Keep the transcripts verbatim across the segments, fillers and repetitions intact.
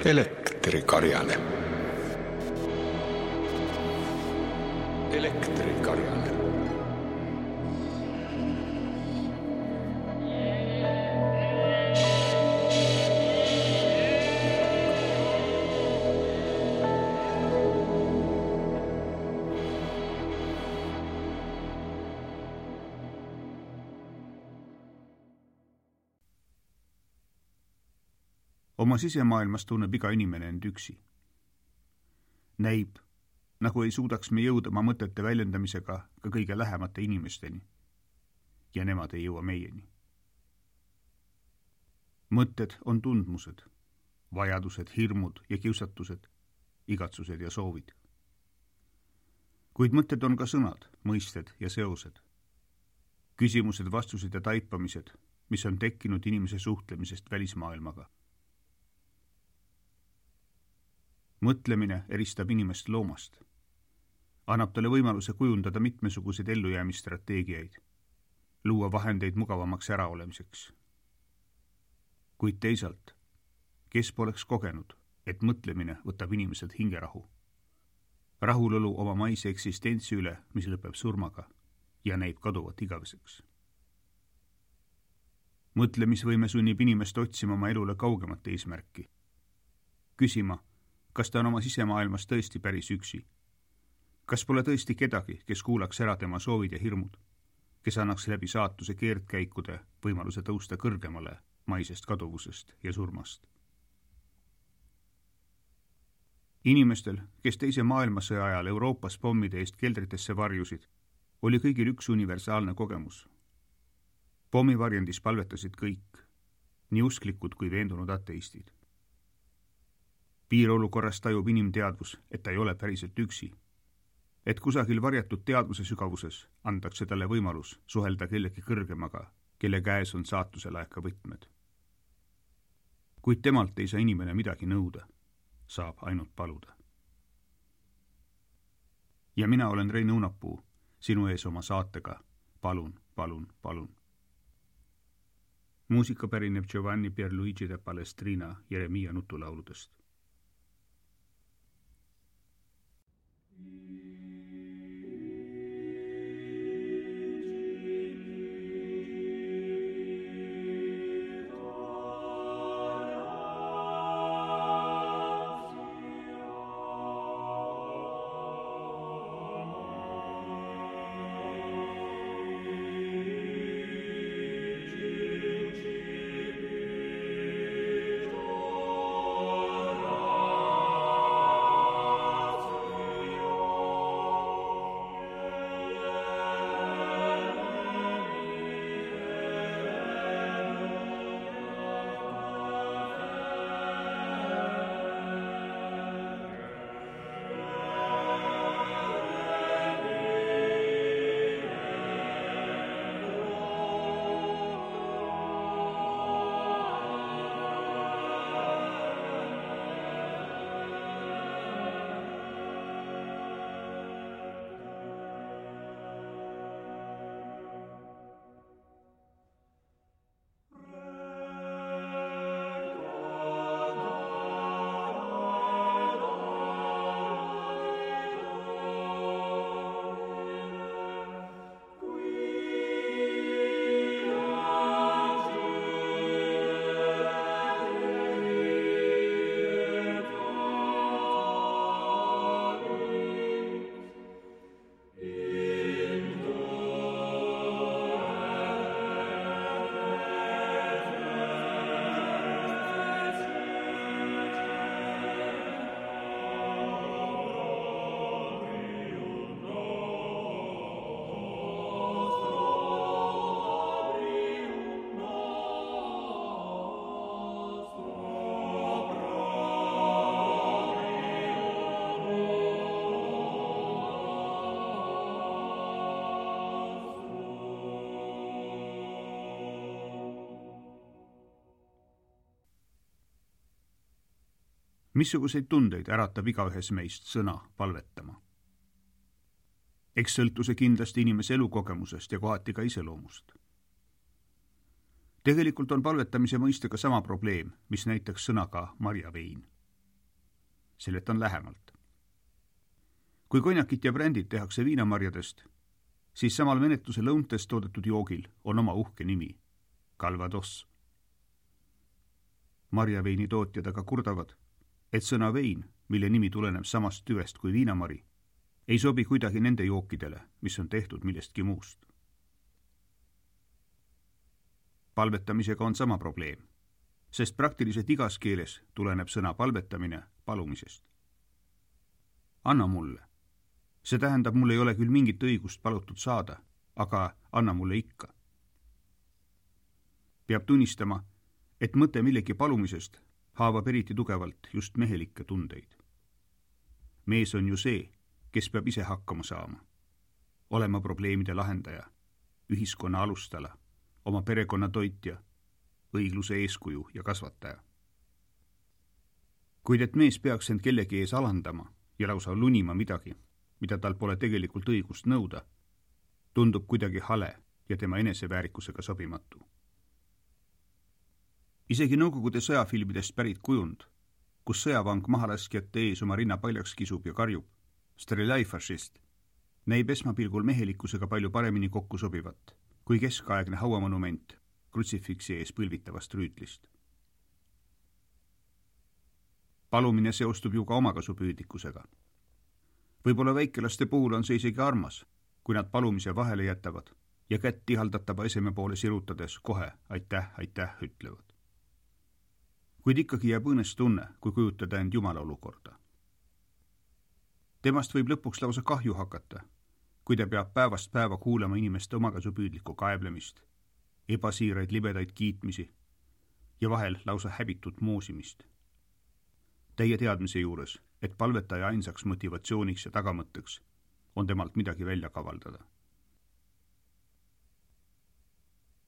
Elektrikarjane. Elektrikarjane. Oma sisemaailmas tunneb iga inimene end üksi. Näib, nagu ei suudaks me jõuda oma mõtete väljendamisega ka kõige lähemate inimesteni. Ja nemad ei jõua meieni. Mõtted on tundmused, vajadused, hirmud ja kiusatused, igatsused ja soovid. Kuid mõtted on ka sõnad, mõisted ja seosed. Küsimused, vastused ja taipamised, mis on tekkinud inimese suhtlemisest välismaailmaga. Mõtlemine eristab inimest loomast. Annab talle võimaluse kujundada mitmesuguseid ellujäämisstrateegiaid, luua vahendeid mugavamaks äraolemiseks. Kuid teisalt, kes poleks kogenud, et mõtlemine võtab inimeselt hingerahu. Rahulolu oma maise eksistentsi üle, mis lõpeb surmaga ja näib kaduvat igaveseks. Mõtlemisvõime sunnib inimest otsima oma elule kaugemat eesmärki. Küsima, kas ta on oma sisemaailmas tõesti päris üksi? Kas pole tõesti kedagi, kes kuulaks ära tema soovid ja hirmud, kes annaks läbi saatuse keerdkäikude võimaluse tõusta kõrgemale maisest kaduvusest ja surmast? Inimestel, kes teise maailmasõja ajal Euroopas pommide eest keldritesse varjusid, oli kõigil üks universaalne kogemus. Pommivarjendis palvetasid kõik, nii usklikud kui veendunud ateistid. Piirolukorras tajub inimteadvus, et ta ei ole päriselt üksi. Et kusagil varjatud teadvuse sügavuses antakse talle võimalus suhelda kellegi kõrgemaga, kelle käes on saatuse laeka võtmed. Kuid temalt ei saa inimene midagi nõuda, saab ainult paluda. Ja mina olen Rein Õunapuu, sinu ees oma saatega Palun, palun, palun. Muusika pärineb Giovanni Pierluigi de Palestrina Jeremia nutulauludest. Missuguseid tundeid äratab igaühes meist sõna palvetama? Eks sõltuse kindlasti inimese elukogemusest ja kohati ka iseloomust. Tegelikult on palvetamise mõistega sama probleem, mis näiteks sõnaga marjavein. Seletan lähemalt. Kui konjakit ja brändid tehakse viinamarjadest, siis samal menetluse lõuntes toodetud joogil on oma uhke nimi, Calvados. Marjaveini tootjad aga kurdavad, et sõna vein, mille nimi tuleneb samast tüvest kui viinamari, ei sobi kuidagi nende jookidele, mis on tehtud millestki muust. Palvetamisega on sama probleem, sest praktiliselt igas keeles tuleneb sõna palvetamine palumisest. Anna mulle. See tähendab, mul ei ole küll mingit õigust palutud saada, aga anna mulle ikka. Peab tunnistama, et mõte millegi palumisest haavab eriti tugevalt just mehelikke tundeid. Mees on ju see, kes peab ise hakkama saama, olema probleemide lahendaja, ühiskonna alustala, oma perekonna toitja, õigluse eeskuju ja kasvataja. Kuid et mees peaks end kellegi ees alandama ja lausa lunima midagi, mida tal pole tegelikult õigust nõuda, tundub kuidagi hale ja tema eneseväärikusega sobimatu. Isegi Nõukogude sõjafilmidest pärit kujund, kus sõjavang mahalaskjate ees oma rinna paljaks kisub ja karjub, Strelai fašist, näib esmapilgul mehelikkusega palju paremini kokku sobivat kui keskaegne hauamonument krutsifiksi ees põlvitavast rüütlist. Palumine seostub ju ka omakasupüüdlikkusega. Võib-olla väikelaste puhul on see isegi armas, kui nad palumise vahele jätavad ja kätt tihaldatava eseme poole sirutades kohe aitäh, aitäh ütlevad. Kuid ikkagi jääb õõnes tunne, kui kujutada end Jumala olukorda. Temast võib lõpuks lausa kahju hakata, kui ta peab päevast päeva kuulama inimeste omakasupüüdlikku kaeblemist, ebasiiraid libedaid kiitmisi ja vahel lausa häbitut moosimist. Teie teadmise juures, et palvetaja ainsaks motivatsiooniks ja tagamõtteks on temalt midagi välja kavaldada.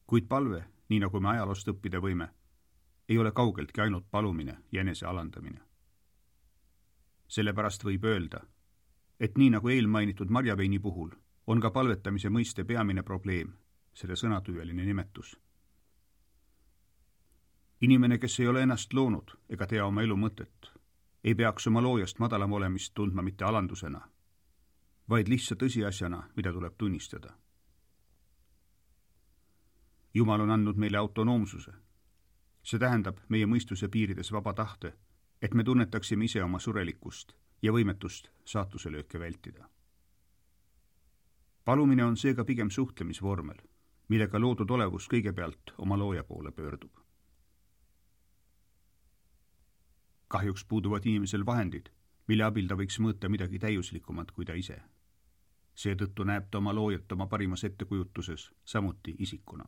Kuid palve, nii nagu me ajaloost õppida võime, ei ole kaugeltki ainult palumine ja enese alandamine. Sellepärast võib öelda, et nii nagu eelmainitud marjaveini puhul on ka palvetamise mõiste peamine probleem, selle sõnatüüeline nimetus. Inimene, kes ei ole ennast loonud ega tea oma elu mõtet, ei peaks oma loojast madalam olemist tundma mitte alandusena, vaid lihtsa tõsiasjana, mida tuleb tunnistada. Jumal on andnud meile autonoomsuse. See tähendab meie mõistuse piirides vaba tahte, et me tunnetaksime ise oma surelikkust ja võimetust saatuselööke vältida. Palumine on seega pigem suhtlemisvormel, millega loodud olevus kõigepealt oma looja poole pöördub. Kahjuks puuduvad inimesel vahendid, mille abil ta võiks mõõta midagi täiuslikumat kui ta ise. Seetõttu näeb ta oma loojat oma parimas ettekujutuses samuti isikuna.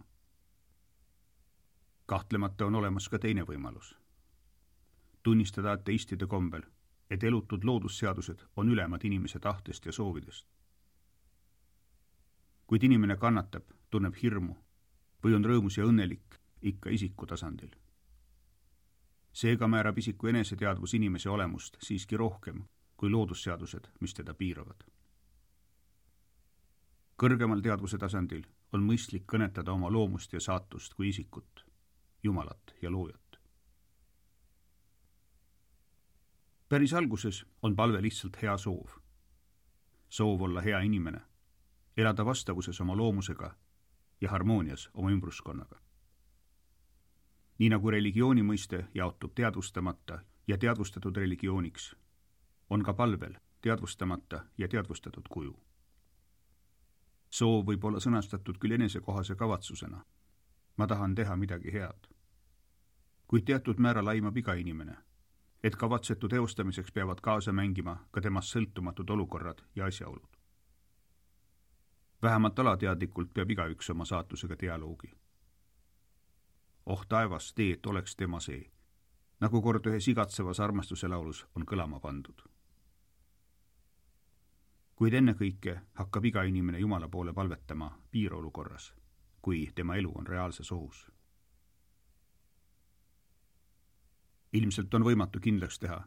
Kahtlemata on olemas ka teine võimalus. Tunnistada ateistide kombel, et elutud loodusseadused on ülemad inimese tahtest ja soovidest. Kuid inimene kannatab, tunneb hirmu või on rõõmus ja õnnelik ikka isiku tasandil. Seega määrab isiku eneseteadvus inimese olemust siiski rohkem kui loodusseadused, mis teda piiravad. Kõrgemal teadvuse tasandil on mõistlik kõnetada oma loomust ja saatust kui isikut, Jumalat ja loojat. Päris alguses on palve lihtsalt hea soov. Soov olla hea inimene, elada vastavuses oma loomusega ja harmoonias oma ümbruskonnaga. Nii nagu religiooni mõiste jaotub teadvustamata ja teadvustatud religiooniks, on ka palvel teadvustamata ja teadvustatud kuju. Soov võib olla sõnastatud küll enesekohase kavatsusena. Ma tahan teha midagi head. Kuid teatud määral aimab iga inimene, et kavatsetu teostamiseks peavad kaasa mängima ka temast sõltumatud olukorrad ja asjaolud. Vähemalt alateadlikult peab igaüks oma saatusega dialoogi. Oh taevas, tee, et oleks tema see, nagu kord ühes igatsevas armastuse laulus on kõlama pandud. Kuid ennekõike hakkab iga inimene Jumala poole palvetama piirolukorras, kui tema elu on reaalses ohus. Ilmselt on võimatu kindlaks teha,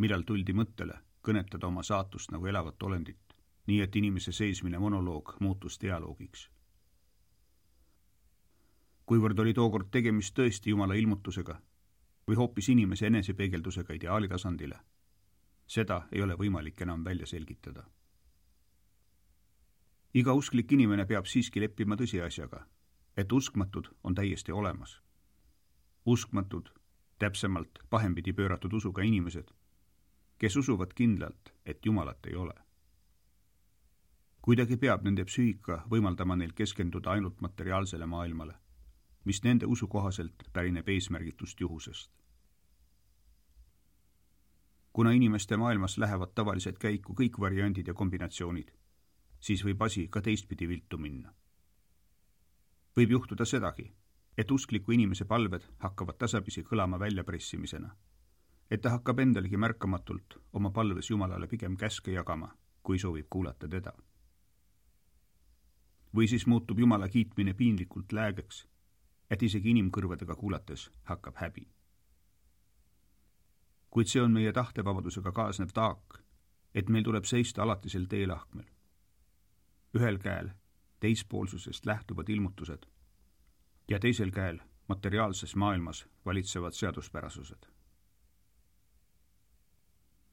millal tuldi mõttele kõnetada oma saatust nagu elavat olendit, nii et inimese seismine monoloog muutus dialoogiks. kuivõrd oli tookord tegemist tõesti Jumala ilmutusega või hoopis inimese enesepeegeldusega ideaali tasandile, seda ei ole võimalik enam välja selgitada. Iga usklik inimene peab siiski leppima tõsiasjaga, et uskmatud on täiesti olemas. Uskmatud, täpsemalt pahempidi pööratud usuga inimesed, kes usuvad kindlalt, et Jumalat ei ole. Kuidagi peab nende psüühika võimaldama neil keskenduda ainult materiaalsele maailmale, mis nende usu kohaselt pärineb eesmärgitust juhusest. Kuna inimeste maailmas lähevad tavaliselt käiku kõik variandid ja kombinatsioonid, siis võib asi ka teistpidi viltu minna. Võib juhtuda sedagi, et uskliku inimese palved hakkavad tasapisi kõlama väljapressimisena, et ta hakkab endalgi märkamatult oma palves Jumalale pigem käske jagama, kui soovib kuulata teda. Või siis muutub Jumala kiitmine piinlikult läägeks, et isegi inimkõrvadega kuulates hakkab häbi. Kuid see on meie tahtevabadusega kaasnev taak, et meil tuleb seista alatisel teelahkmel. Ühel käel teispoolsusest lähtuvad ilmutused ja teisel käel materiaalses maailmas valitsevad seaduspärasused.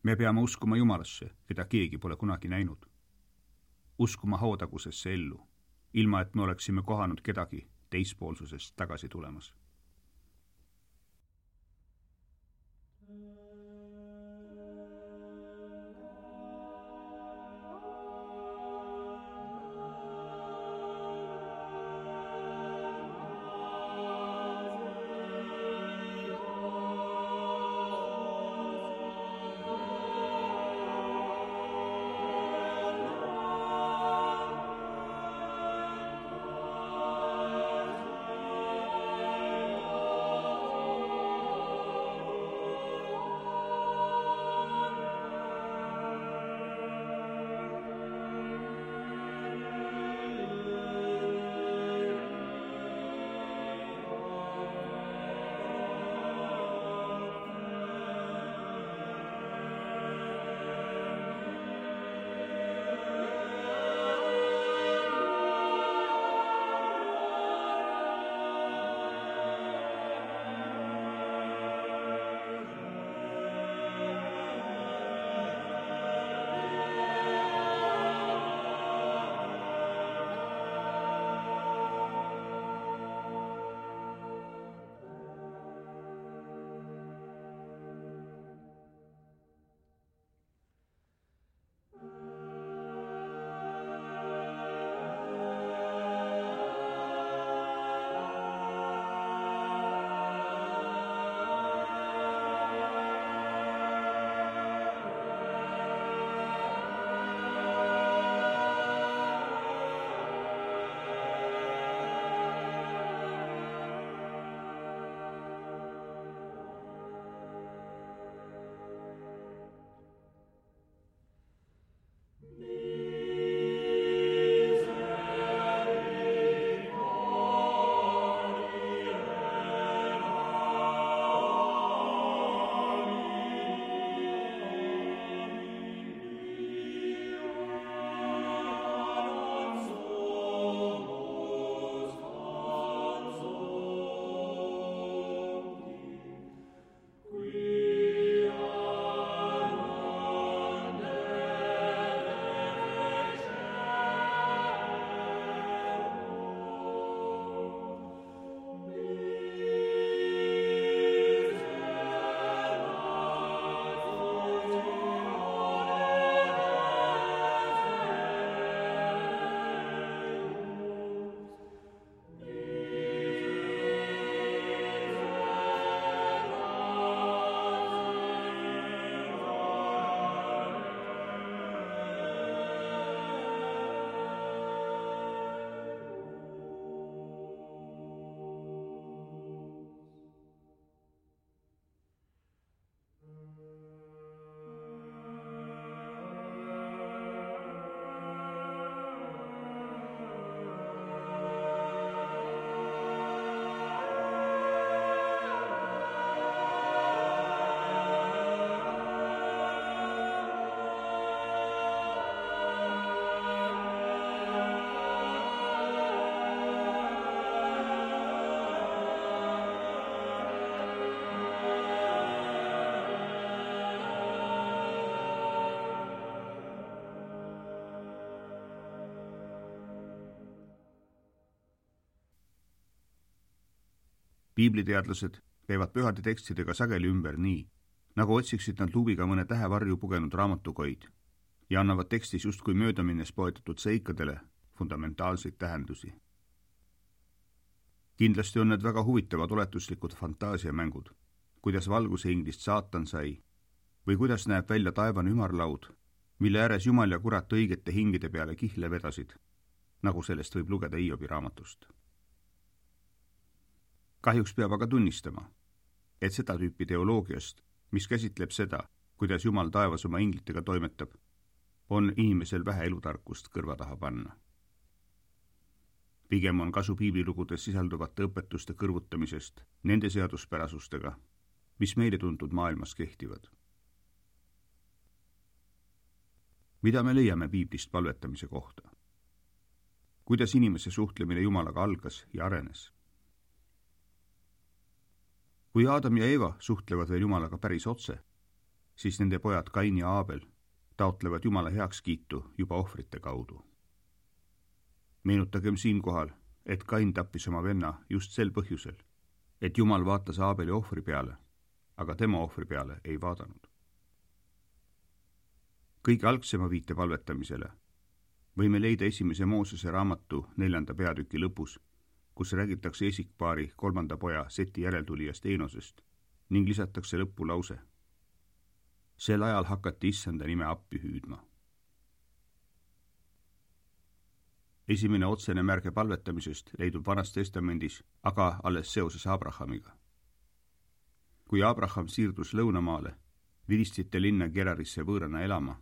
Me peame uskuma Jumalasse, keda keegi pole kunagi näinud. Uskuma hautagusesse ellu, ilma et me oleksime kohanud kedagi teispoolsusest tagasi tulemas. piibliteadlased käivad pühade tekstidega sageli ümber nii, nagu otsiksid nad luubiga mõne tähevarju pugenud raamatukoid ja annavad tekstis justkui möödaminnes poetatud seikadele fundamentaalseid tähendusi. Kindlasti on need väga huvitavad oletuslikud fantaasiamängud, kuidas valguse inglist saatan sai või kuidas näeb välja taevane ümarlaud, mille ääres Jumal ja kurat õigete hingide peale kihle vedasid, nagu sellest võib lugeda Hiobi raamatust. Kahjuks peab aga tunnistama, et seda tüüpi teoloogiast, mis käsitleb seda, kuidas Jumal taevas oma inglitega toimetab, on inimesel vähe elutarkust kõrva taha panna. Pigem on kasu piiblilugudes sisalduvate õpetuste kõrvutamisest nende seaduspärasustega, mis meile tuntud maailmas kehtivad. Mida me leiame piiblist palvetamise kohta? Kuidas inimese suhtlemine Jumalaga algas ja arenes? Kui Aadam ja Eeva suhtlevad veel Jumalaga päris otse, siis nende pojad Kain ja Aabel taotlevad Jumala heakskiitu juba ohvrite kaudu. Meenutagem siinkohal, et Kain tappis oma venna just sel põhjusel, et Jumal vaatas Aabeli ohvri peale, aga tema ohvri peale ei vaadanud. Kõige algsema viite palvetamisele võime leida esimese Moosese raamatu neljanda peatüki lõpus, kus räägitakse esikpaari kolmanda poja Seti järeltulijast Eenosest ning lisatakse lõppu lause. Sel ajal hakati issanda nime appi hüüdma. Esimene otsene märge palvetamisest leidub Vanas Testamendis, aga alles seoses Abrahamiga. Kui Abraham siirdus lõunamaale, vilistite linna Gerarisse võõrana elama,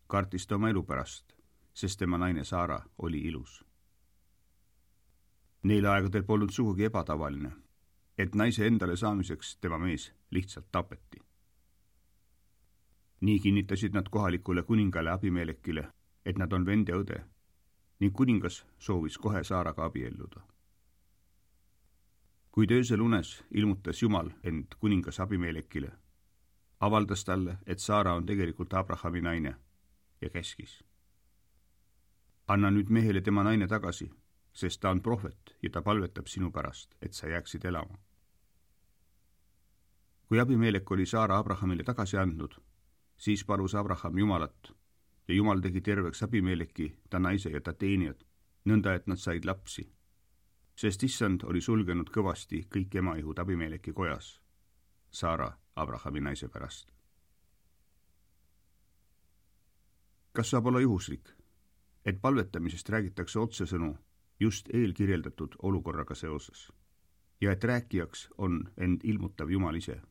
kartis ta oma elu pärast, sest tema naine Saara oli ilus. Neil aegadel polnud sugugi ebatavaline, et naise endale saamiseks tema mees lihtsalt tapeti. Nii kinnitasid nad kohalikule kuningale Abimelekile, et nad on vend ja õde, ning kuningas soovis kohe Saaraga abielluda. Kuid öösel unes ilmutas Jumal end kuningas Abimelekile, avaldas talle, et Saara on tegelikult Abrahami naine ja käskis. Anna nüüd mehele tema naine tagasi, sest ta on prohvet ja ta palvetab sinu pärast, et sa jääksid elama. Kui Abimelek oli Saara Abrahamile tagasi andnud, siis palus Abraham Jumalat ja Jumal tegi terveks Abimeleki, ta naise ja ta teenijad, nõnda et nad said lapsi, sest issand oli sulgenud kõvasti kõik emaihud Abimeleki kojas, Saara Abrahami naise pärast. Kas saab olla juhuslik, et palvetamisest räägitakse otsesõnu just eelkirjeldatud olukorraga seoses ja et rääkijaks on end ilmutav Jumal ise?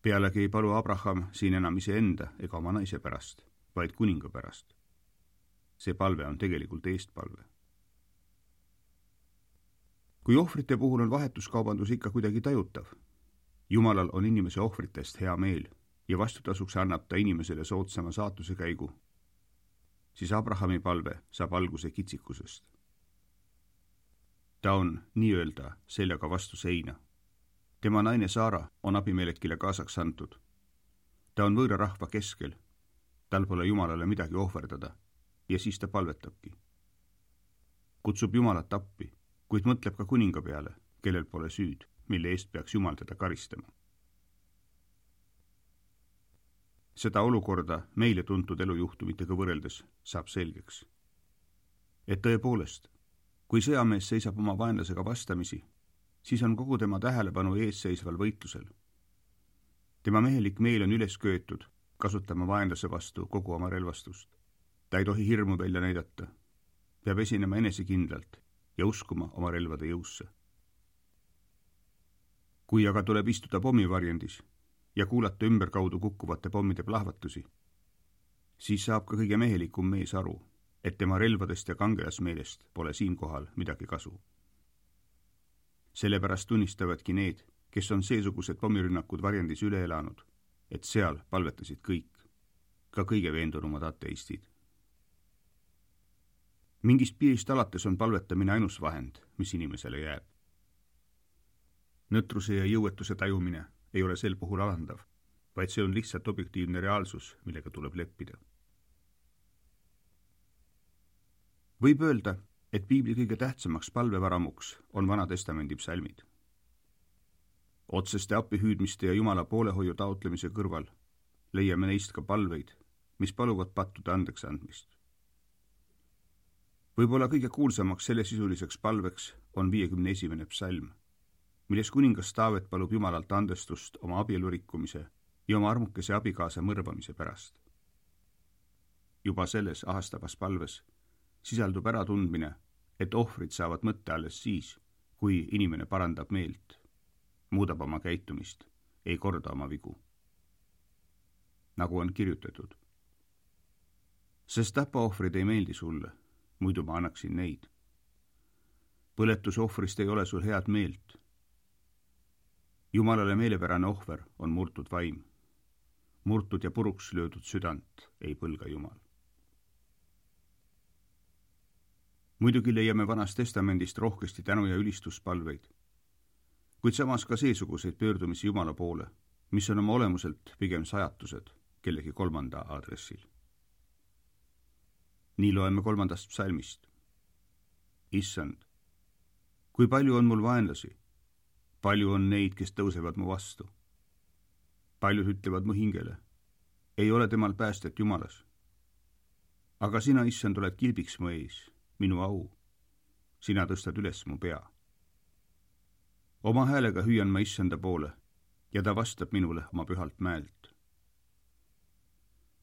Pealegi ei palu Abraham siin enam iseenda ega oma naise pärast, vaid kuninga pärast. See palve on tegelikult eestpalve. Kui ohvrite puhul on vahetuskaubandus ikka kuidagi tajutav, Jumalal on inimese ohvritest hea meel ja vastutasuks annab ta inimesele soodsama saatuse käigu, siis Abrahami palve saab alguse kitsikusest. Ta on nii-öelda seljaga vastu seina. Tema naine Saara on Abimelekile kaasaks antud. Ta on võõra rahva keskel, tal pole Jumalale midagi ohverdada ja siis ta palvetabki. Kutsub Jumalat appi, kuid mõtleb ka kuninga peale, kellel pole süüd, mille eest peaks Jumal teda karistama. Seda olukorda meile tuntud elujuhtumitega võrreldes saab selgeks. Et tõepoolest, kui sõjamees seisab oma vaenlasega vastamisi, siis on kogu tema tähelepanu eesseisval võitlusel. Tema mehelik meel on üles köetud, kasutama vaenlase vastu kogu oma relvastust. Ta ei tohi hirmu välja näidata, peab esinema enesekindlalt ja uskuma oma relvade jõusse. Kui aga tuleb istuda pommivarjendis ja kuulata ümberkaudu kukkuvate pommide plahvatusi, siis saab ka kõige mehelikum mees aru, et tema relvadest ja kangelasmeelest pole siinkohal midagi kasu. Sellepärast tunnistavadki need, kes on seesugused pommirünnakud varjendis üle elanud, et seal palvetasid kõik, ka kõige veendunumad ateistid. Mingist piirist alates on palvetamine ainus vahend, mis inimesele jääb. Nõtruse ja jõuetuse tajumine ei ole sel puhul alandav, vaid see on lihtsalt objektiivne reaalsus, millega tuleb leppida. Võib öelda, et piibli kõige tähtsamaks palvevaramuks on Vana Testamendi psalmid. Otseste appihüüdmiste ja Jumala poolehoiu taotlemise kõrval leiame neist ka palveid, mis paluvad pattude andeks andmist. Võib-olla kõige kuulsamaks sellesisuliseks palveks on viiekümne esimene psalm, milles kuningas Taavet palub Jumalalt andestust oma abielurikkumise ja oma armukese abikaasa mõrvamise pärast. Juba selles ahastavas palves sisaldub äratundmine, et ohvrid saavad mõtte alles siis, kui inimene parandab meelt, muudab oma käitumist, ei korda oma vigu. Nagu on kirjutatud. Sest tapaohvrid ei meeldi sulle, muidu ma annaksin neid. Põletusohvrist ei ole sul head meelt. Jumalale meelepärane ohver on murtud vaim. Murtud ja puruks löödud südant ei põlga Jumal. Muidugi leiame Vanast Testamendist rohkesti tänu- ja ülistuspalveid, kuid samas ka seesuguseid pöördumisi Jumala poole, mis on oma olemuselt pigem sajatused kellegi kolmanda aadressil. Nii loeme kolmandast psalmist. Issand, kui palju on mul vaenlasi, palju on neid, kes tõusevad mu vastu. Paljud ütlevad mu hingele, ei ole temal päästet Jumalas. Aga sina, Issand, oled kilbiks mu ees, minu au. Sina tõstad üles mu pea. Oma häälega hüüan ma Issanda poole ja ta vastab minule oma pühalt mäelt.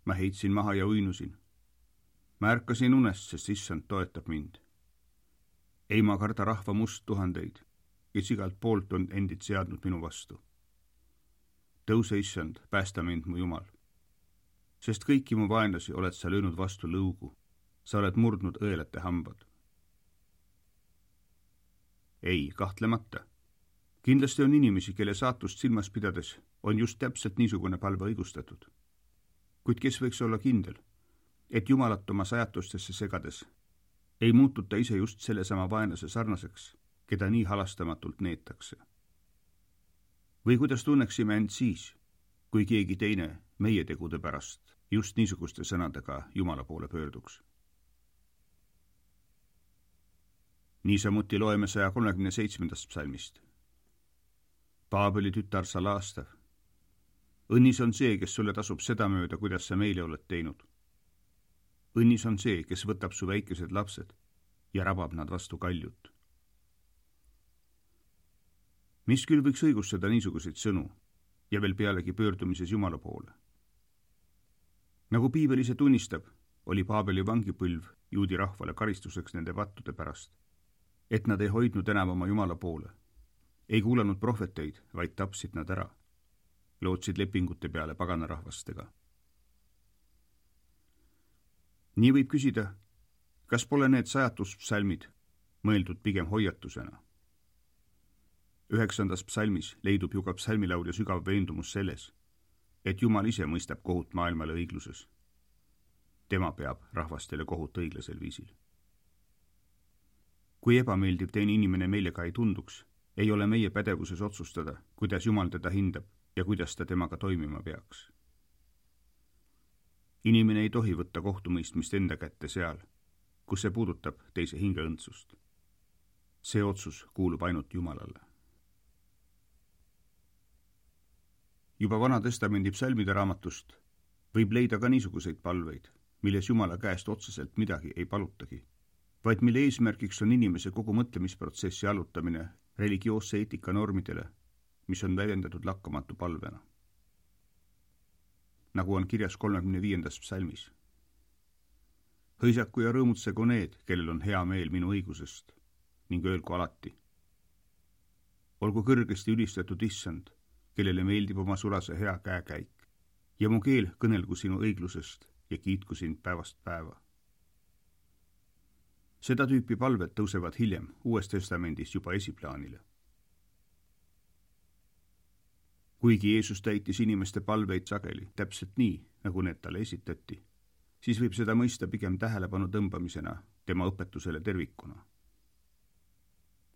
Ma heitsin maha ja uinusin. Ma ärkasin unest, sest Issand toetab mind. Ei ma karda rahva must tuhandeid, kes igalt poolt on endid seadnud minu vastu. Tõuse, Issand, päästa mind, mu Jumal. Sest kõiki mu vaenlasi oled sa löönud vastu lõugu. Sa oled murdnud õelate hambad. Ei, kahtlemata. Kindlasti on inimesi, kelle saatust silmas pidades on just täpselt niisugune palve õigustatud. Kuid kes võiks olla kindel, et Jumalat oma sajatustesse segades ei muututa ise just sellesama vaenlase sarnaseks, keda nii halastamatult neetakse. Või kuidas tunneksime end siis, kui keegi teine meie tegude pärast just niisuguste sõnadega Jumala poole pöörduks. Niisamuti loeme saja kolmekümne seitsmendast psalmist. Paabeli tütar sa laastav. Õnnis on see, kes sulle tasub seda mööda, kuidas sa meile oled teinud. Õnnis on see, kes võtab su väikesed lapsed ja rabab nad vastu kaljut. Mis küll võiks õigustada niisuguseid sõnu ja veel pealegi pöördumises Jumala poole? Nagu piibel ise tunnistab, oli Paabeli vangipõlv juudi rahvale karistuseks nende vattude pärast, et nad ei hoidnud enam oma Jumala poole, ei kuulanud prohveteid, vaid tapsid nad ära, lootsid lepingute peale paganarahvastega. Nii võib küsida, kas pole need sajatuspsalmid mõeldud pigem hoiatusena? Üheksandas psalmis leidub ju ka psalmilaulja sügav veendumus selles, et Jumal ise mõistab kohut maailmale õigluses. Tema peab rahvastele kohut õiglasel viisil. Kui ebameeldiv teine inimene meile ka ei tunduks, ei ole meie pädevuses otsustada, kuidas Jumal teda hindab ja kuidas ta temaga toimima peaks. Inimene ei tohi võtta kohtumõistmist enda kätte seal, kus see puudutab teise hingeõndsust. See otsus kuulub ainult Jumalale. Juba Vana Testamendi psalmide raamatust võib leida ka niisuguseid palveid, milles Jumala käest otseselt midagi ei palutagi, vaid mille eesmärgiks on inimese kogu mõtlemisprotsessi allutamine religioosse eetika normidele, mis on väljendatud lakkamatu palvena. Nagu on kirjas kolmekümne viiendas psalmis. Hõisaku ja rõõmutsegu need, kellel on hea meel minu õigusest, ning öelgu alati. Olgu kõrgesti ülistatud Issand, kellele meeldib oma sulase hea käekäik, ja mu keel kõnelgu sinu õiglusest ja kiitku sind päevast päeva. Seda tüüpi palved tõusevad hiljem Uues Testamendis juba esiplaanile. Kuigi Jeesus täitis inimeste palveid sageli täpselt nii, nagu need talle esitati, siis võib seda mõista pigem tähelepanu tõmbamisena tema õpetusele tervikuna.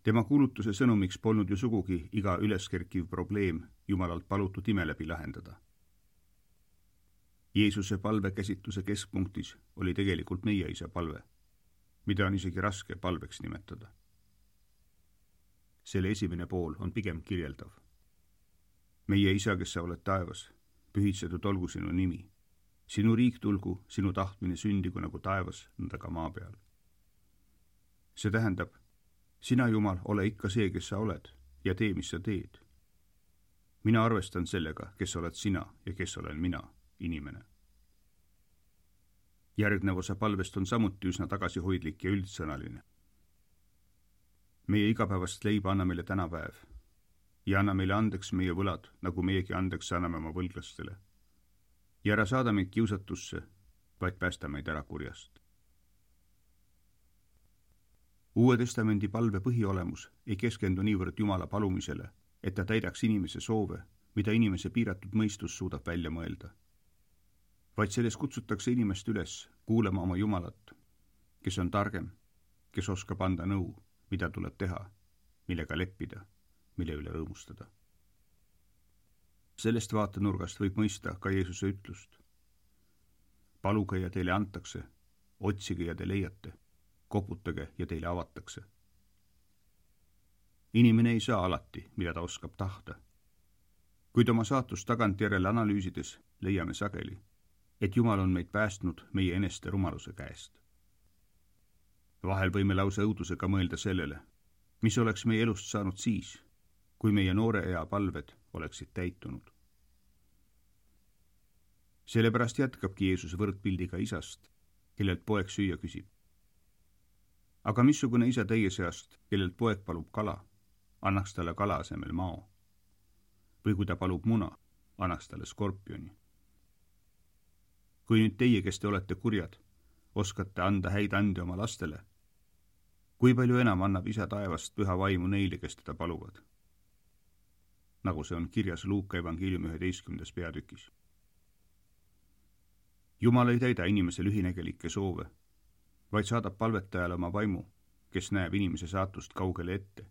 Tema kuulutuse sõnumiks polnud ju sugugi iga üleskerkiv probleem Jumalalt palutud ime läbi lahendada. Jeesuse palvekäsitluse keskpunktis oli tegelikult meie isa palve, mida on isegi raske palveks nimetada. Selle esimene pool on pigem kirjeldav. Meie Isa, kes sa oled taevas, pühitsetud olgu sinu nimi. Sinu riik tulgu, sinu tahtmine sündigu nagu taevas, nõnda ka maa peal. See tähendab, sina, Jumal, ole ikka see, kes sa oled ja tee, mis sa teed. Mina arvestan sellega, kes oled sina ja kes olen mina, inimene. Järgnev osa palvest on samuti üsna tagasihoidlik ja üldsõnaline. Meie igapäevast leiba anna meile täna päev ja anna meile andeks meie võlad, nagu meiegi andeks anname oma võlglastele. Ja ära saada meid kiusatusse, vaid päästa meid ära kurjast. Uue testamendi palve põhiolemus ei keskendu niivõrd Jumala palumisele, et ta täidaks inimese soove, mida inimese piiratud mõistus suudab välja mõelda. Vaid selles kutsutakse inimest üles kuulama oma Jumalat, kes on targem, kes oskab anda nõu, mida tuleb teha, millega leppida, mille üle rõõmustada. Sellest vaatenurgast võib mõista ka Jeesuse ütlust. Paluge ja teile antakse, otsige ja te leiate, koputage ja teile avatakse. Inimene ei saa alati, mida ta oskab tahta. Kuid oma saatust tagantjärele analüüsides leiame sageli, et Jumal on meid päästnud meie eneste rumaluse käest. Vahel võime lausa õudusega mõelda sellele, mis oleks meie elust saanud siis, kui meie noore ea palved oleksid täitunud. Sellepärast jätkabki Jeesus võrdpildiga isast, kellelt poeg süüa küsib. Aga missugune isa teie seast, kellelt poeg palub kala, annaks talle kala asemel mao? Või kui ta palub muna, annaks talle skorpioni? Kui nüüd teie, kes te olete kurjad, oskate anda häid ande oma lastele, kui palju enam annab isa taevast püha vaimu neile, kes teda paluvad? Nagu see on kirjas Luuka evangeeliumi üheteistkümnendas peatükis. Jumal ei täida inimese lühinägelikke soove, vaid saadab palvetajale oma vaimu, kes näeb inimese saatust kaugele ette.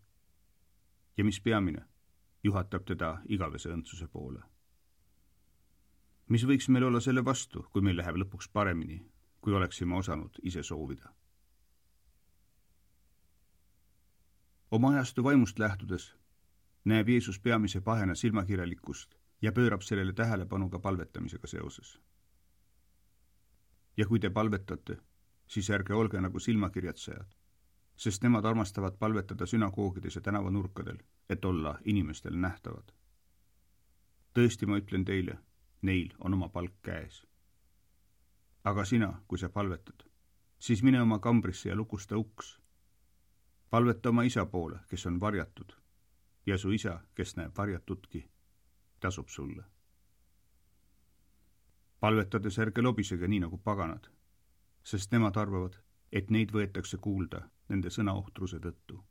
Ja mis peamine, juhatab teda igavese õndsuse poole. Mis võiks meil olla selle vastu, kui meil läheb lõpuks paremini, kui oleksime osanud ise soovida? Oma ajastu vaimust lähtudes näeb Jeesus peamise pahena silmakirjalikkust ja pöörab sellele tähelepanu ka palvetamisega seoses. Ja kui te palvetate, siis ärge olge nagu silmakirjatsejad, sest nemad armastavad palvetada sünagoogides ja tänavanurkadel, et olla inimestel nähtavad. Tõesti, ma ütlen teile, neil on oma palk käes. Aga sina, kui sa palvetad, siis mine oma kambrisse ja lukusta uks. Palveta oma isa poole, kes on varjatud, ja su isa, kes näeb varjatudki, tasub sulle. Palvetades ärge lobisege nii nagu paganad, sest nemad arvavad, et neid võetakse kuulda nende sõnaohtruse tõttu.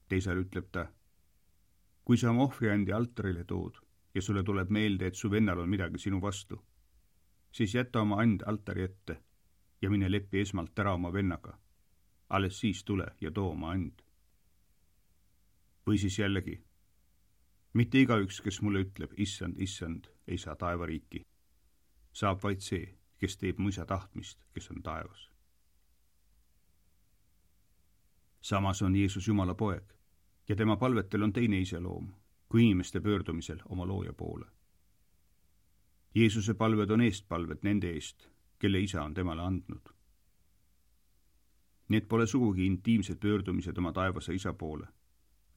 Teisal ütleb ta, kui sa oma ohvriandi altarile tood ja sulle tuleb meelde, et su vennal on midagi sinu vastu, siis jäta oma and altari ette ja mine leppi esmalt ära oma vennaga. Alles siis tule ja too oma and. Või siis jällegi, mitte igaüks, kes mulle ütleb, issand, issand, ei saa taevariiki. Saab vaid see, kes teeb mu isa tahtmist, kes on taevas. Samas on Jeesus Jumala poeg ja tema palvetel on teine iseloom kui inimeste pöördumisel oma looja poole. Jeesuse palved on eestpalved nende eest, kelle isa on temale andnud. Need pole sugugi intiimsed pöördumised oma taevase isa poole,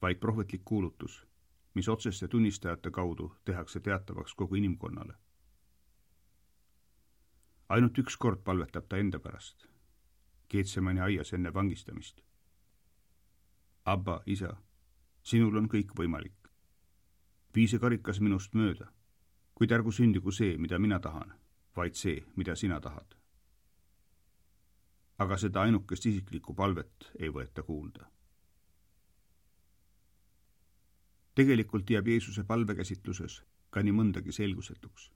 vaid prohvetlik kuulutus, mis otseste tunnistajate kaudu tehakse teatavaks kogu inimkonnale. Ainult üks kord palvetab ta enda pärast, Getsemani aias enne vangistamist. Abba, isa, sinul on kõik võimalik. Vii see karikas minust mööda, kuid ärgu sündigu see, mida mina tahan, vaid see, mida sina tahad. Aga seda ainukest isiklikku palvet ei võeta kuulda. Tegelikult jääb Jeesuse palvekäsitluses ka nii mõndagi selgusetuks.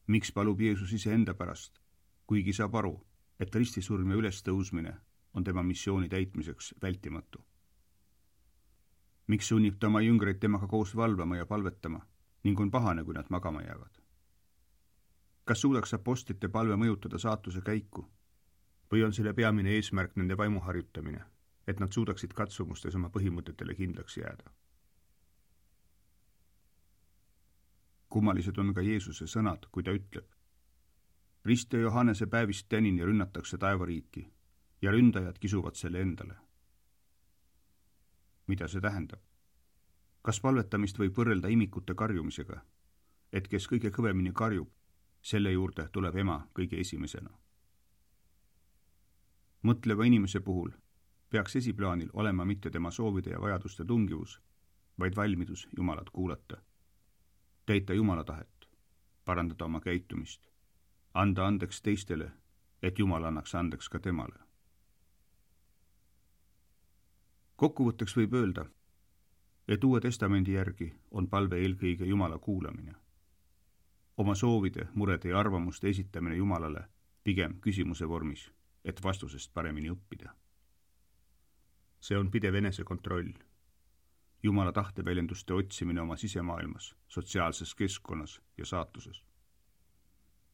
Miks palub Jeesus ise enda pärast, kuigi saab aru, et ristisurm ja ülestõusmine on tema missiooni täitmiseks vältimatu? Miks sunnib ta oma jüngreid temaga koos valvama ja palvetama ning on pahane, kui nad magama jäävad? Kas suudaks apostlite palve mõjutada saatuse käiku või on selle peamine eesmärk nende vaimu harjutamine, et nad suudaksid katsumustes oma põhimõtetele kindlaks jääda. Kummalised on ka Jeesuse sõnad, kui ta ütleb: Rist ja Johannese päevist tänini rünnatakse taevariiki ja ründajad kisuvad selle endale. Mida see tähendab? Kas palvetamist võib võrrelda imikute karjumisega, et kes kõige kõvemini karjub, selle juurde tuleb ema kõige esimesena? Mõtleva inimese puhul peaks esiplaanil olema mitte tema soovide ja vajaduste tungivus, vaid valmidus Jumalat kuulata, täita Jumala tahet, parandada oma käitumist, anda andeks teistele, et Jumal annaks andeks ka temale. Kokkuvõtteks võib öelda, et Uue Testamendi järgi on palve eelkõige Jumala kuulamine. Oma soovide, murede ja arvamuste esitamine Jumalale pigem küsimuse vormis, et vastusest paremini õppida. See on pidev enesekontroll, Jumala tahteväljenduste otsimine oma sisemaailmas, sotsiaalses keskkonnas ja saatuses.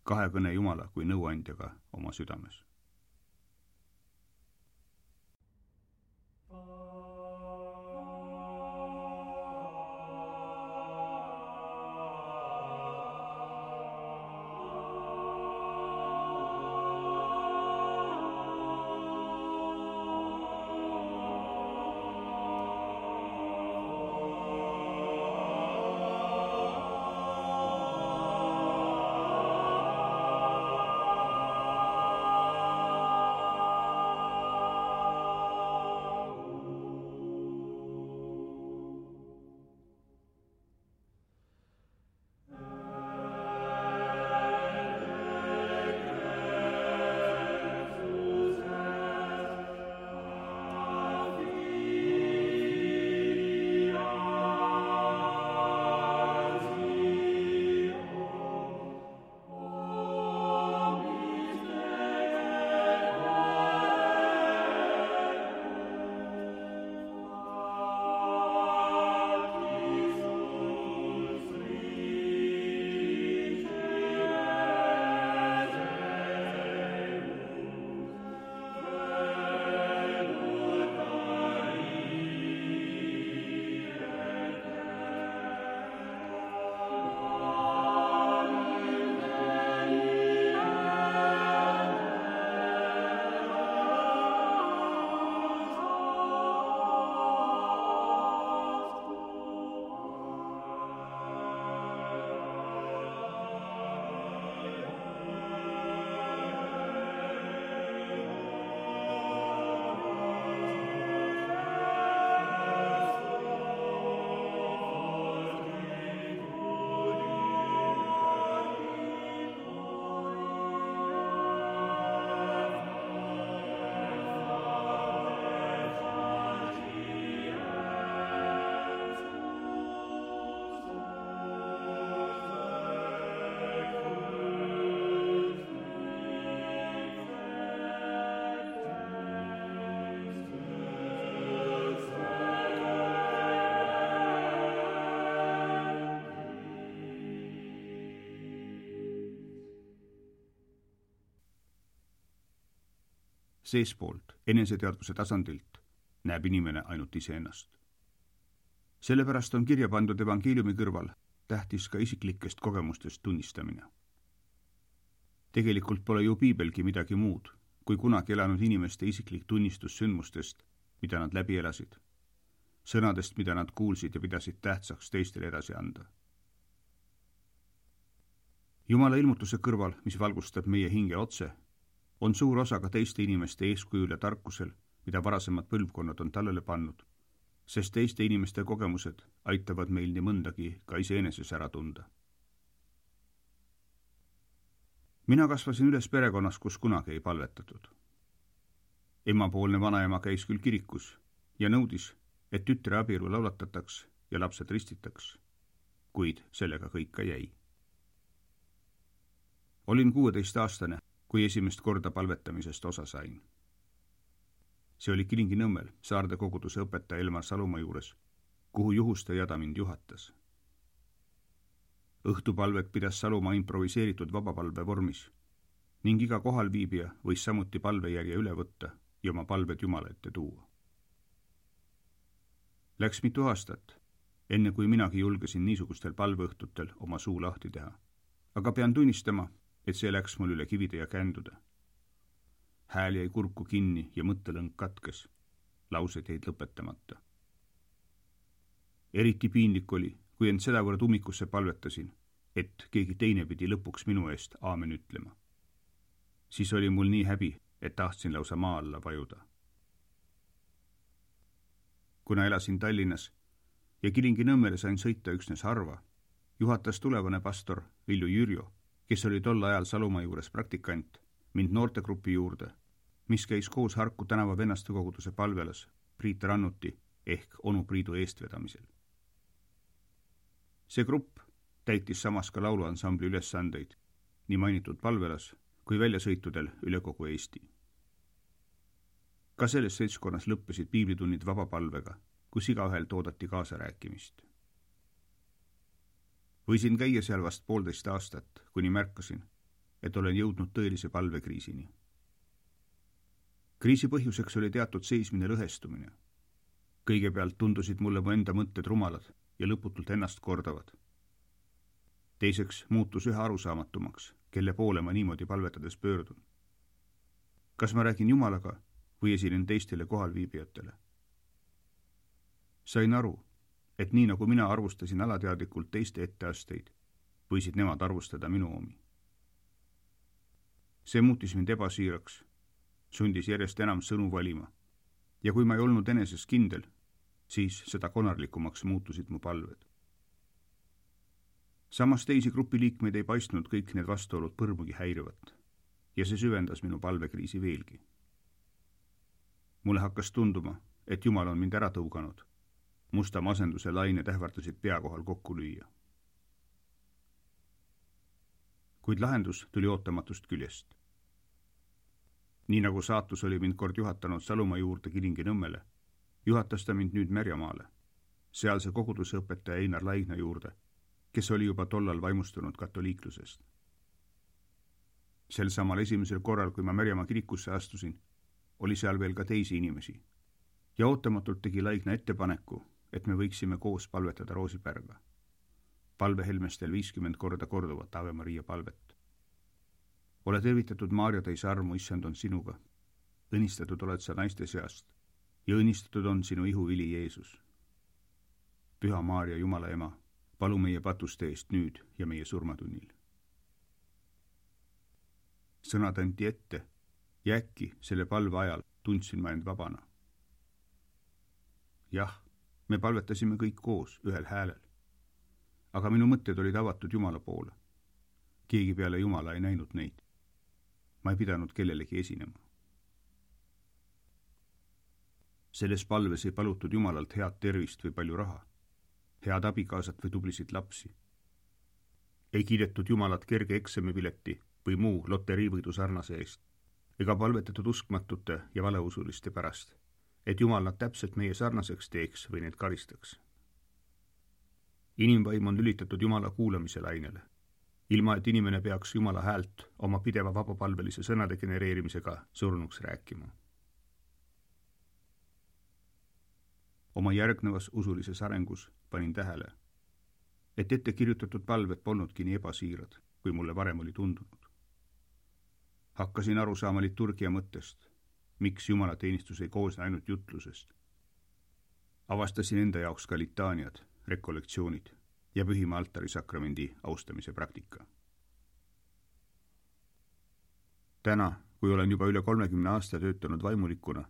Kahekõne Jumala kui nõuandjaga oma südames. Seespoolt, eneseteadvuse tasandilt, näeb inimene ainult iseennast. Sellepärast on kirja pandud evangeeliumi kõrval tähtis ka isiklikest kogemustest tunnistamine. Tegelikult pole ju piibelgi midagi muud, kui kunagi elanud inimeste isiklik tunnistus sündmustest, mida nad läbi elasid, sõnadest, mida nad kuulsid ja pidasid tähtsaks teistele edasi anda. Jumala ilmutuse kõrval, mis valgustab meie hinge otse, on suur osa ka teiste inimeste eeskujul ja tarkusel, mida varasemad põlvkonnad on tallele pannud, sest teiste inimeste kogemused aitavad meil nii mõndagi ka iseeneses ära tunda. Mina kasvasin üles perekonnas, kus kunagi ei palvetatud. Emapoolne vanaema käis küll kirikus ja nõudis, et tütre abielu laulatataks ja lapsed ristitaks, kuid sellega kõik ka jäi. Olin kuueteistaastane, kui esimest korda palvetamisest osa sain. See oli Kilingi-Nõmmel Saarde koguduse õpetaja Elmar Salumaa juures, kuhu juhustajada mind juhatas. Õhtupalvet pidas Salumaa improviseeritud vabapalve vormis, ning iga kohalviibija võis samuti palvejärje üle võtta ja oma palved Jumala ette tuua. Läks mitu aastat, enne kui minagi julgesin niisugustel palveõhtutel oma suu lahti teha, aga pean tunnistama, et see läks mul üle kivide ja kändude. Hääl jäi kurku kinni ja mõttelõng katkes, laused jäid lõpetamata. Eriti piinlik oli, kui end sedavõrd ummikusse palvetasin, et keegi teine pidi lõpuks minu eest aamen ütlema. Siis oli mul nii häbi, et tahtsin lausa maa alla vajuda. Kuna elasin Tallinnas ja Kilingi-Nõmmele sain sõita üksnes harva, juhatas tulevane pastor Vilju Jürjo, kes oli tol ajal Salumaa juures praktikant, mind noortegrupi juurde, mis käis koos Harku tänava vennastekoguduse palvelas Priit Rannuti ehk onu Priidu eestvedamisel. See grupp täitis samas ka lauluansambli ülesandeid nii mainitud palvelas kui väljasõitudel üle kogu Eesti. Ka selles seltskonnas lõppesid piiblitunnid vabapalvega, kus igaühel toodati kaasarääkimist. Võisin käia seal vast poolteist aastat, kuni märkasin, et olen jõudnud tõelise palvekriisini. Kriisi põhjuseks oli teatud seismine lõhestumine. Kõigepealt tundusid mulle mu enda mõtted rumalad ja lõputult ennast kordavad. Teiseks muutus üha arusaamatumaks, kelle poole ma niimoodi palvetades pöördun. Kas ma räägin Jumalaga või esinen teistele kohalviibijatele? Sain aru, et nii nagu mina arvustasin alateadlikult teiste etteasteid, võisid nemad arvustada minu omi. See muutis mind ebasiiraks, sundis järjest enam sõnu valima ja kui ma ei olnud eneses kindel, siis seda konarlikumaks muutusid mu palved. Samas teisi grupiliikmeid ei paistnud kõik need vastuolud põrmugi häirivat ja see süvendas minu palvekriisi veelgi. Mulle hakkas tunduma, et Jumal on mind ära tõuganud. Musta masenduse lained ähvardasid pea kohal kokku lüüa. Kuid lahendus tuli ootamatust küljest. Nii nagu saatus oli mind kord juhatanud Salumaa juurde Kilingi-Nõmmele, juhatas ta mind nüüd Märjamaale, sealse koguduse õpetaja Einar Laigna juurde, kes oli juba tollal vaimustunud katoliiklusest. Sel samal esimesel korral, kui ma Märjamaa kirikusse astusin, oli seal veel ka teisi inimesi ja ootamatult tegi Laigna ettepaneku, et me võiksime koos palvetada Roosipärga. Palvehelmestel viiskümmend korda korduvat Ave Maria palvet. Ole tervitatud Maarja täis armu, issand on sinuga. Õnnistatud oled sa naiste seast ja õnnistatud on sinu ihuvili Jeesus. Püha Maarja, Jumala ema, palu meie patuste eest nüüd ja meie surmatunnil. Sõnad anti ette ja äkki selle palve ajal tundsin ma end vabana. Jah, me palvetasime kõik koos ühel häälel, aga minu mõtted olid avatud Jumala poole. Keegi peale Jumala ei näinud neid. Ma ei pidanud kellelegi esinema. Selles palves ei palutud Jumalalt head tervist või palju raha, head abikaasat või tublisid lapsi. Ei kiidetud Jumalat kerge eksamipileti või muu loteriivõidu sarnase eest, ega palvetatud uskmatute ja valeusuliste pärast, et Jumal nad täpselt meie sarnaseks teeks või neid karistaks. Inimvaim on lülitatud Jumala kuulamise lainele, ilma et inimene peaks Jumala häält oma pideva vabapalvelise sõnade genereerimisega surnuks rääkima. Oma järgnevas usulises arengus panin tähele, et ette kirjutatud palved polnudki nii ebasiirad, kui mulle varem oli tundunud. Hakkasin aru saama liturgia mõttest, miks Jumala teenistus ei koosne ainult jutlusest. Avastasin enda jaoks ka litaaniad, rekollektsioonid ja pühima altarisakramendi austamise praktika. Täna, kui olen juba üle kolmekümne aasta töötanud vaimulikuna,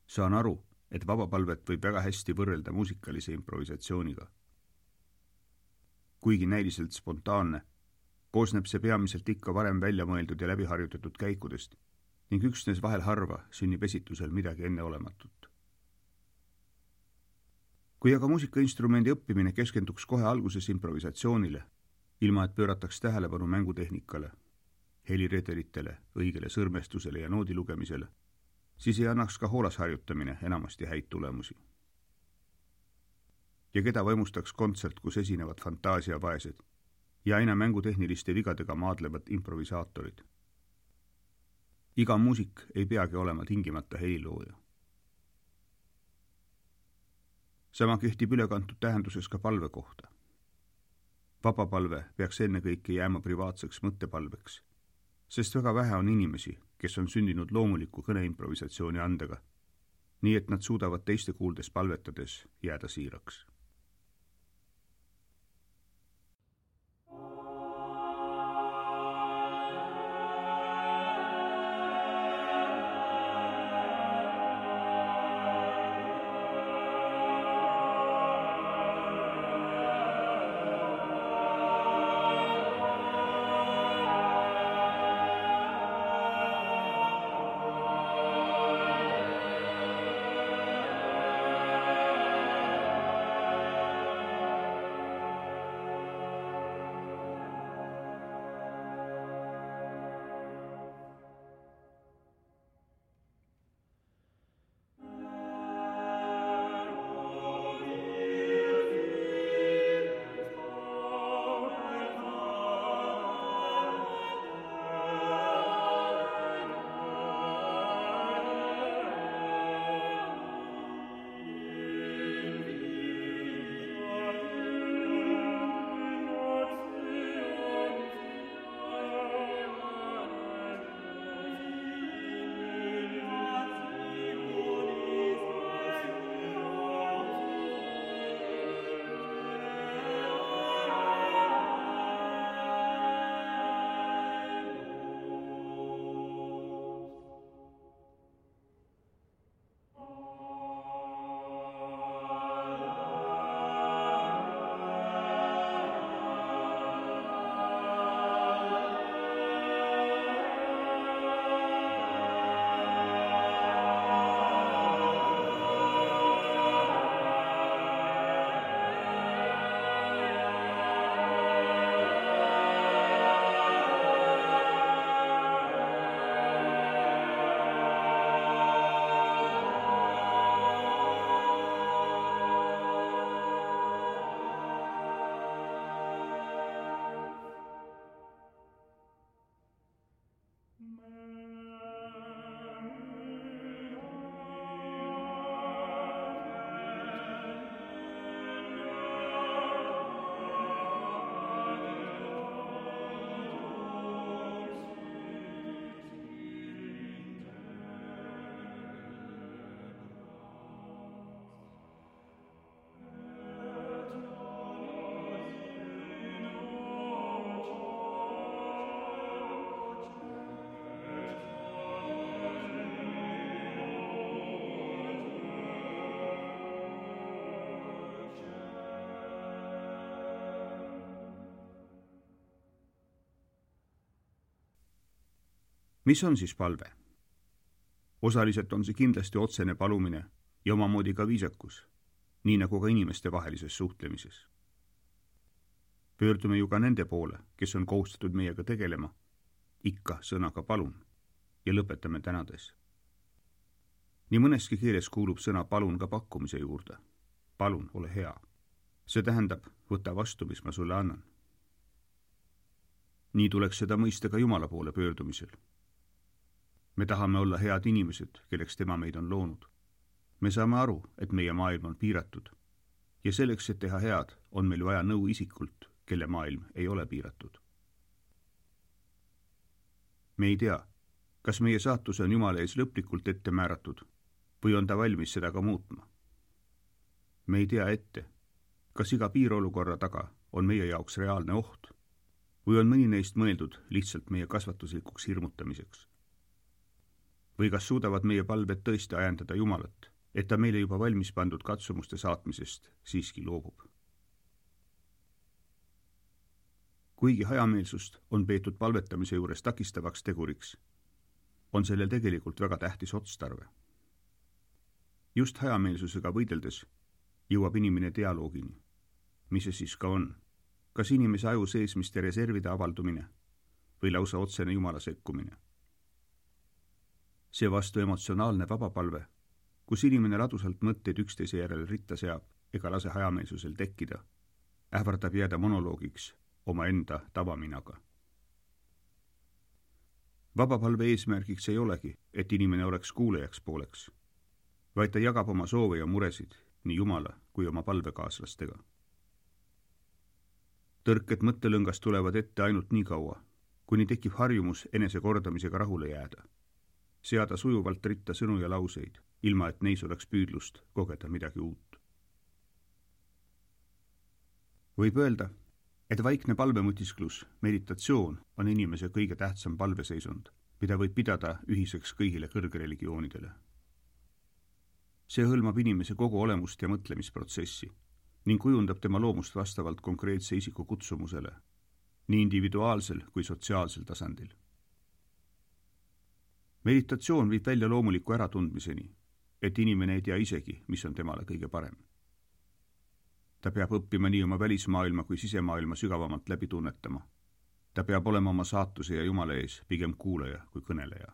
saan aru, et vabapalvet võib väga hästi võrrelda muusikalise improvisatsiooniga. Kuigi näiliselt spontaanne, koosneb see peamiselt ikka varem välja mõeldud ja läbiharjutatud käikudest ning üksnes vahel harva sünnib esitusel midagi enneolematut. Kui aga muusikainstrumendi õppimine keskenduks kohe alguses improvisatsioonile, ilma et pöörataks tähelepanu mängutehnikale, heliredelitele, õigele sõrmestusele ja noodi lugemisele, siis ei annaks ka hoolas harjutamine enamasti häid tulemusi. Ja keda vaimustaks kontsert, kus esinevad fantaasiavaesed ja aina mängutehniliste vigadega maadlevad improvisaatorid. iga muusik ei peagi olema tingimata helilooja. Sama kehtib ülekantud tähenduses ka palve kohta. Vabapalve peaks ennekõike jääma privaatseks mõttepalveks, sest väga vähe on inimesi, kes on sündinud loomuliku kõneimprovisatsiooni andega, nii et nad suudavad teiste kuuldes palvetades jääda siiraks. Mis on siis palve? Osaliselt on see kindlasti otsene palumine ja omamoodi ka viisakus, nii nagu ka inimeste vahelises suhtlemises. Pöördume ju ka nende poole, kes on kohustatud meiega tegelema, ikka sõnaga palun ja lõpetame tänades. Nii mõneski keeles kuulub sõna palun ka pakkumise juurde. Palun, ole hea. See tähendab, võta vastu, mis ma sulle annan. Nii tuleks seda mõista ka Jumala poole pöördumisel. Me tahame olla head inimesed, kelleks tema meid on loonud. Me saame aru, et meie maailm on piiratud ja selleks, et teha head, on meil vaja nõu isikult, kelle maailm ei ole piiratud. Me ei tea, kas meie saatus on Jumala ees lõplikult ette määratud või on ta valmis seda ka muutma. Me ei tea ette, kas iga piirolukorra taga on meie jaoks reaalne oht või on mõni neist mõeldud lihtsalt meie kasvatuslikuks hirmutamiseks. Või kas suudavad meie palved tõesti ajendada Jumalat, et ta meile juba valmis pandud katsumuste saatmisest siiski loobub. Kuigi hajameelsust on peetud palvetamise juures takistavaks teguriks, on sellel tegelikult väga tähtis otstarve. Just hajameelsusega võideldes jõuab inimene dialoogini, mis see siis ka on, kas inimese aju seesmiste reservide avaldumine või lausa otsene Jumala sekkumine. See vastu emotsionaalne vabapalve, kus inimene ladusalt mõtteid üksteise järel ritta seab ega lase hajameelsusel tekkida, ähvardab jääda monoloogiks omaenda tavaminaga. vabapalve eesmärgiks ei olegi, et inimene oleks kuulajaks pooleks, vaid ta jagab oma soove ja muresid nii Jumala kui oma palvekaaslastega. Tõrked mõttelõngast tulevad ette ainult nii kaua, kuni tekib harjumus enese kordamisega rahule jääda, seada sujuvalt ritta sõnu ja lauseid, ilma et neis oleks püüdlust kogeda midagi uut. Võib öelda, et vaikne palvemõtisklus, meditatsioon on inimese kõige tähtsam palveseisund, mida võib pidada ühiseks kõigile kõrgreligioonidele. See hõlmab inimese kogu olemust ja mõtlemisprotsessi ning kujundab tema loomust vastavalt konkreetse isiku kutsumusele, nii individuaalsel kui sotsiaalsel tasandil. Meditatsioon viib välja loomuliku äratundmiseni, et inimene ei tea isegi, mis on temale kõige parem. Ta peab õppima nii oma välismaailma kui sisemaailma sügavamalt läbi tunnetama. Ta peab olema oma saatuse ja Jumala ees pigem kuulaja kui kõneleja.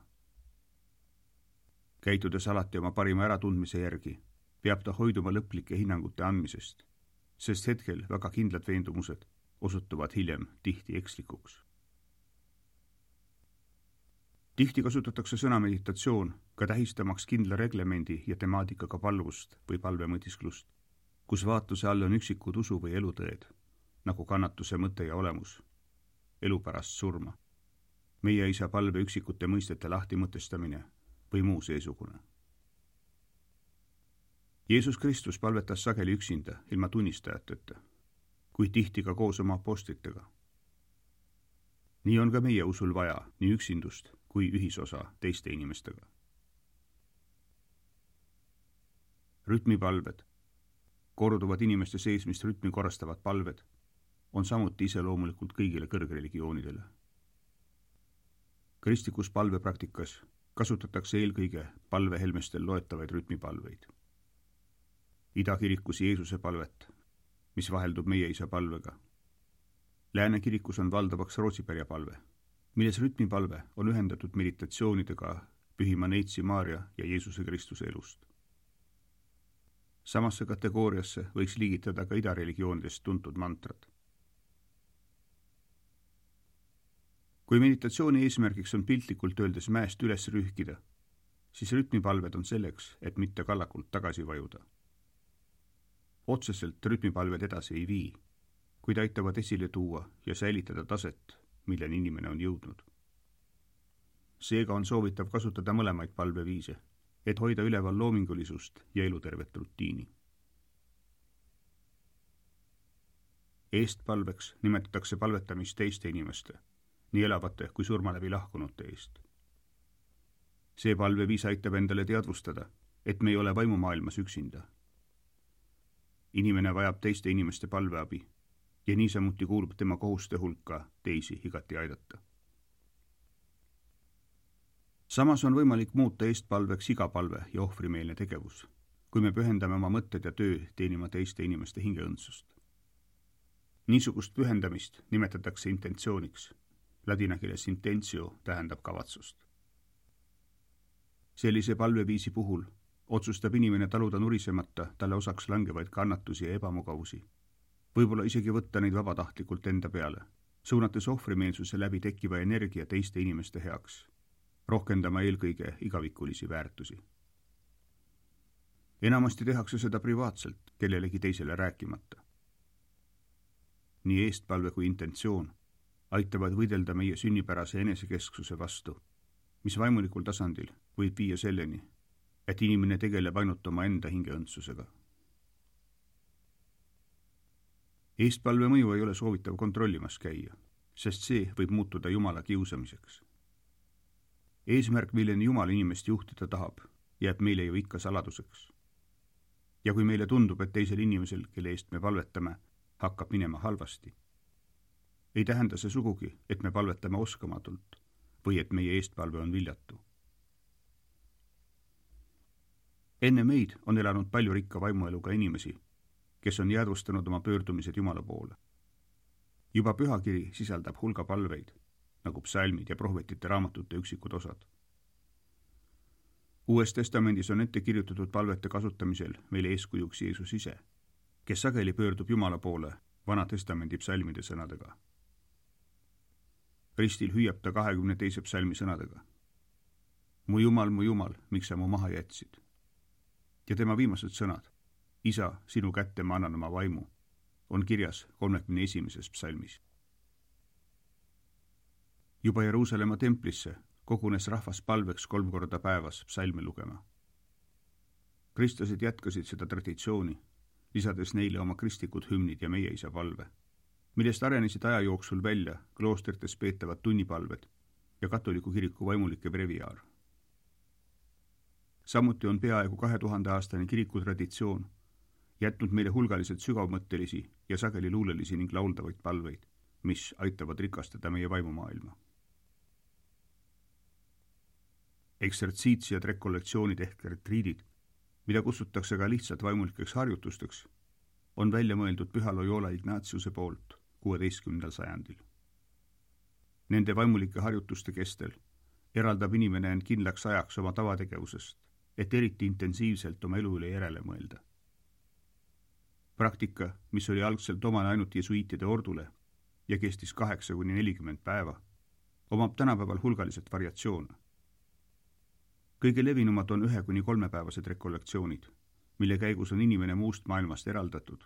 Käitudes alati oma parima äratundmise järgi, peab ta hoiduma lõplike hinnangute andmisest, sest hetkel väga kindlad veendumused osutuvad hiljem tihti ekslikuks. Tihti kasutatakse sõna meditatsioon ka tähistamaks kindla reglemendi ja temaatikaga palvust või palvemõtisklust, kus vaatluse all on üksikud usu või elutõed, nagu kannatuse mõte ja olemus, elu pärast surma, meie isa palve üksikute mõistete lahti mõtestamine või muu seesugune. Jeesus Kristus palvetas sageli üksinda ilma tunnistajateta, kuid tihti ka koos oma apostlitega. Nii on ka meie usul vaja nii üksindust kui ühisosa teiste inimestega. Rütmipalved, korduvad inimeste seesmist rütmi korrastavad palved, on samuti iseloomulikult kõigile kõrgreligioonidele. Kristlikus palvepraktikas kasutatakse eelkõige palvehelmestel loetavaid rütmipalveid. Idakirikus Jeesuse palvet, mis vaheldub meie isa palvega. Lääne kirikus on valdavaks Rootsipärja palve, milles rütmipalve on ühendatud meditatsioonidega Pühima Neitsi Maarja ja Jeesuse Kristuse elust. Samasse kategooriasse võiks liigitada ka idareligioonidest tuntud mantrad. Kui meditatsiooni eesmärgiks on piltlikult öeldes mäest üles rühkida, siis rütmipalved on selleks, et mitte kallakult tagasi vajuda. Otseselt rütmipalved edasi ei vii, kuid aitavad esile tuua ja säilitada taset, milleni inimene on jõudnud. Seega on soovitav kasutada mõlemaid palveviise, et hoida üleval loomingulisust ja elutervet rutiini. Eestpalveks nimetatakse palvetamist teiste inimeste, nii elavate kui surma läbi lahkunute eest. See palveviis aitab endale teadvustada, et me ei ole vaimumaailmas üksinda. Inimene vajab teiste inimeste palveabi ja niisamuti kuulub tema kohuste hulka teisi igati aidata. Samas on võimalik muuta eestpalveks iga palve ja ohvrimeelne tegevus, kui me pühendame oma mõtted ja töö teenima teiste inimeste hingeõndsust. Niisugust pühendamist nimetatakse intentsiooniks. Ladina keeles intentio tähendab kavatsust. Sellise palveviisi puhul otsustab inimene taluda nurisemata talle osaks langevaid kannatusi ja ebamugavusi. Võib-olla isegi võtta neid vabatahtlikult enda peale, suunates ohvrimeelsuse läbi tekkiva energia teiste inimeste heaks, rohkendama eelkõige igavikulisi väärtusi. Enamasti tehakse seda privaatselt, kellelegi teisele rääkimata. Nii eestpalve kui intentsioon aitavad võidelda meie sünnipärase enesekesksuse vastu, mis vaimulikul tasandil võib viia selleni, et inimene tegeleb ainult oma enda hingeõndsusega. Eestpalve mõju ei ole soovitav kontrollimas käia, sest see võib muutuda Jumala kiusamiseks. Eesmärk, milleni Jumal inimest juhtida tahab, jääb meile ju ikka saladuseks. Ja kui meile tundub, et teisel inimesel, kelle eest me palvetame, hakkab minema halvasti, ei tähenda see sugugi, et me palvetame oskamatult või et meie eestpalve on viljatu. Enne meid on elanud palju rikka vaimueluga inimesi, kes on jäädvustanud oma pöördumised Jumala poole. Juba pühakiri sisaldab hulga palveid, nagu psalmid ja prohvetite raamatute üksikud osad. Uues testamendis on ette kirjutatud palvete kasutamisel meile eeskujuks Jeesus ise, kes sageli pöördub Jumala poole Vana testamendi psalmide sõnadega. ristil hüüab ta kahekümne teise psalmi sõnadega. mu Jumal, mu Jumal, miks sa mu maha jätsid? ja tema viimased sõnad, Isa, sinu kätte ma annan oma vaimu, on kirjas kolmekümne esimeses psalmis. juba Jeruusalemma templisse kogunes rahvas palveks kolm korda päevas psalme lugema. Kristlased jätkasid seda traditsiooni, lisades neile oma kristlikud hümnid ja Meie Isa palve, millest arenesid aja jooksul välja kloostrites peetavad tunnipalved ja katoliku kiriku vaimulike breviaar. Samuti on peaaegu kahe tuhande aastane kirikutraditsioon jätnud meile hulgaliselt sügavmõttelisi ja sageli luulelisi ning lauldavaid palveid, mis aitavad rikastada meie vaimumaailma. Eksertsiitsiad rekollektsioonid ehk retriidid, mida kutsutakse ka lihtsalt vaimulikeks harjutusteks, on välja mõeldud püha Loyola Ignatiuse poolt kuueteistkümnendal sajandil. Nende vaimulike harjutuste kestel eraldab inimene end kindlaks ajaks oma tavategevusest, et eriti intensiivselt oma elu üle järele mõelda. Praktika, mis oli algselt omane ainult jesuiitide ordule ja kestis kaheksa kuni nelikümmend päeva, omab tänapäeval hulgaliselt variatsioone. Kõige levinumad on ühe kuni kolmepäevased rekollektsioonid, mille käigus on inimene muust maailmast eraldatud,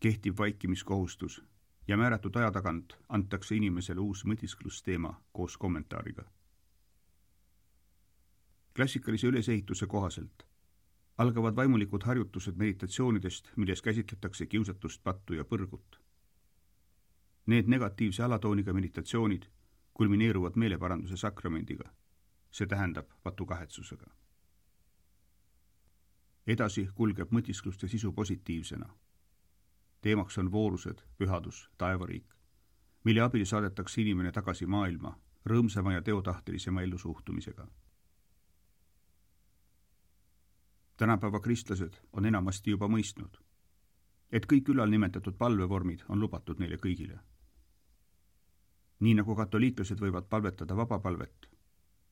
kehtib vaikimiskohustus ja määratud aja tagant antakse inimesele uus mõtisklusteema koos kommentaariga. Klassikalise ülesehituse kohaselt algavad vaimulikud harjutused meditatsioonidest, milles käsitletakse kiusatust, pattu ja põrgut. Need negatiivse alatooniga meditatsioonid kulmineeruvad meeleparanduse sakramendiga, see tähendab patukahetsusega. Edasi kulgeb mõtiskluste sisu positiivsena. Teemaks on voorused, pühadus, taevariik, mille abil saadetakse inimene tagasi maailma rõõmsama ja teotahtelisema ellusuhtumisega. Tänapäeva kristlased on enamasti juba mõistnud, et kõik ülal nimetatud palvevormid on lubatud neile kõigile. Nii nagu katoliiklased võivad palvetada vabapalvet,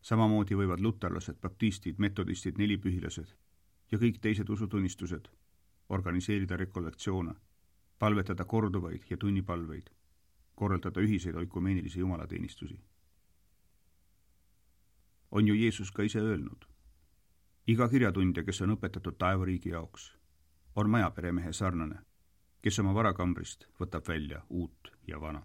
samamoodi võivad luterlased, baptistid, metodistid, nelipühilased ja kõik teised usutunnistused organiseerida rekollektsioone, palvetada korduvaid ja tunnipalveid, korraldada ühiseid oikumeenilisi jumalateenistusi. On ju Jeesus ka ise öelnud, iga kirjatundja, kes on õpetatud taevariigi jaoks, on majaperemehe sarnane, kes oma varakambrist võtab välja uut ja vana.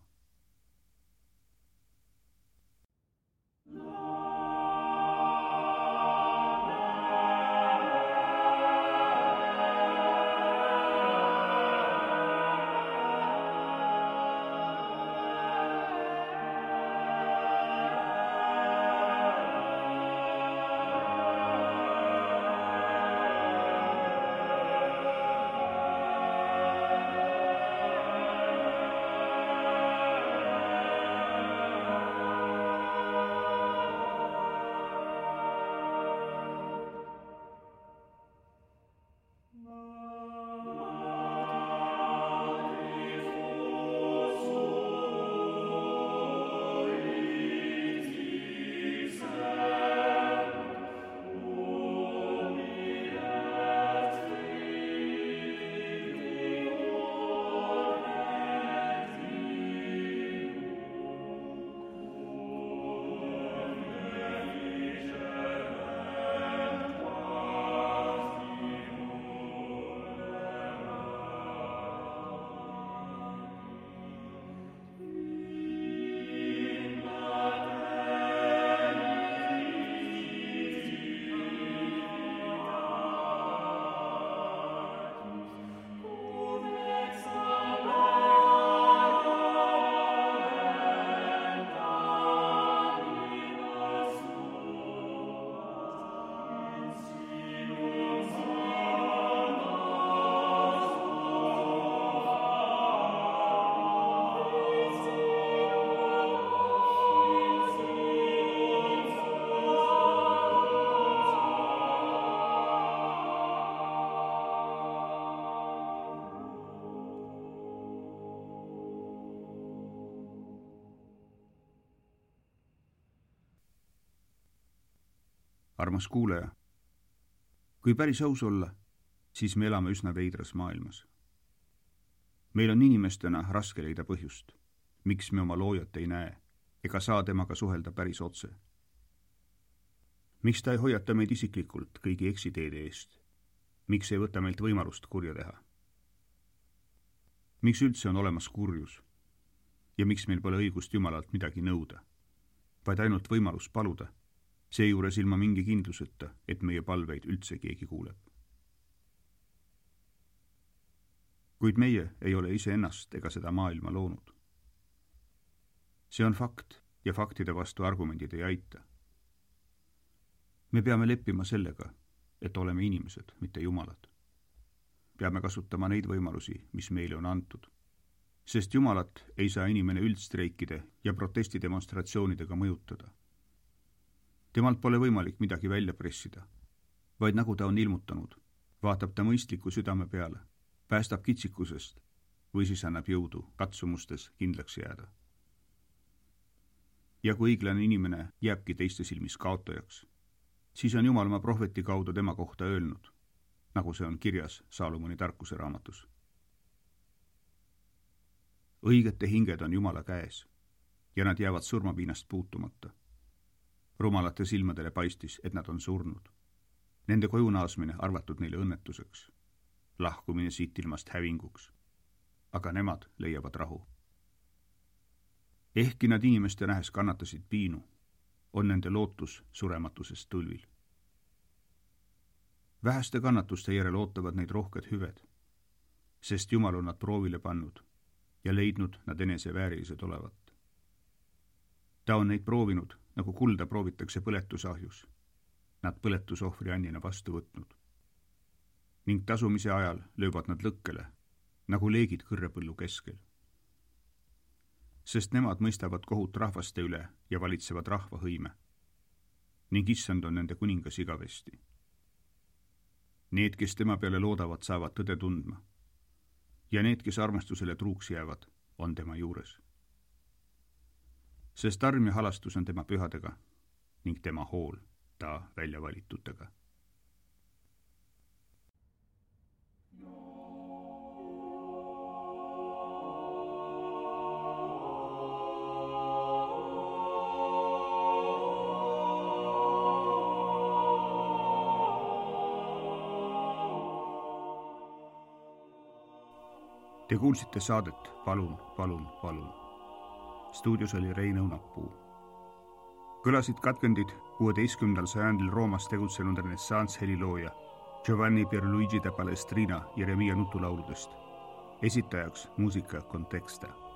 Armas kuulaja, kui päris aus olla, siis me elame üsna veidras maailmas. Meil on inimestena raske leida põhjust, miks me oma loojat ei näe ega saa temaga suhelda päris otse. Miks ta ei hoiata meid isiklikult kõigi eksiteede eest? Miks ei võta meilt võimalust kurja teha? Miks üldse on olemas kurjus? Ja miks meil pole õigust Jumalalt midagi nõuda, vaid ainult võimalus paluda, seejuures ilma mingi kindluseta, et meie palveid üldse keegi kuuleb? Kuid meie ei ole iseennast ega seda maailma loonud. See on fakt ja faktide vastu argumendid ei aita. Me peame leppima sellega, et oleme inimesed, mitte jumalad. Peame kasutama neid võimalusi, mis meile on antud. Sest Jumalat ei saa inimene üldstreikide ja protestidemonstratsioonidega mõjutada. Temalt pole võimalik midagi välja pressida, vaid nagu ta on ilmutanud, vaatab ta mõistliku südame peale, päästab kitsikusest või siis annab jõudu katsumustes kindlaks jääda. Ja kui õiglane inimene jääbki teiste silmis kaotajaks, siis on Jumal oma prohveti kaudu tema kohta öelnud, nagu see on kirjas Saalomoni tarkuse raamatus. Õigete hinged on Jumala käes ja nad jäävad surmapiinast puutumata. Rumalate silmadele paistis, et nad on surnud. Nende koju naasmine arvatud neile õnnetuseks, lahkumine siit ilmast hävinguks, aga nemad leiavad rahu. Ehkki nad inimeste nähes kannatasid piinu, on nende lootus surematusest tulvil. Väheste kannatuste järel ootavad neid rohked hüved, sest Jumal on nad proovile pannud ja leidnud nad enese väärilised olevat. Ta on neid proovinud, nagu kulda proovitakse põletusahjus, nad põletusohvri annina vastu võtnud. Ning tasumise ajal löövad nad lõkkele, nagu leegid kõrrepõllu keskel. Sest nemad mõistavad kohut rahvaste üle ja valitsevad rahva hõime. Ning issand on nende kuningas igavesti. Need, kes tema peale loodavad, saavad tõde tundma. Ja need, kes armastusele truuks jäävad, on tema juures. Sest arm ja halastus on tema pühadega ning tema hool ta välja valitutega. Te kuulsite saadet Palun, palun, palun. Stuudios oli Rein Õunapuu. Kõlasid katkendid kuueteistkümnendal sajandil Roomas tegutsenud renessants helilooja Giovanni Pierluigi de Palestrina Jeremia nutulauludest. Esitajaks muusika Contexta.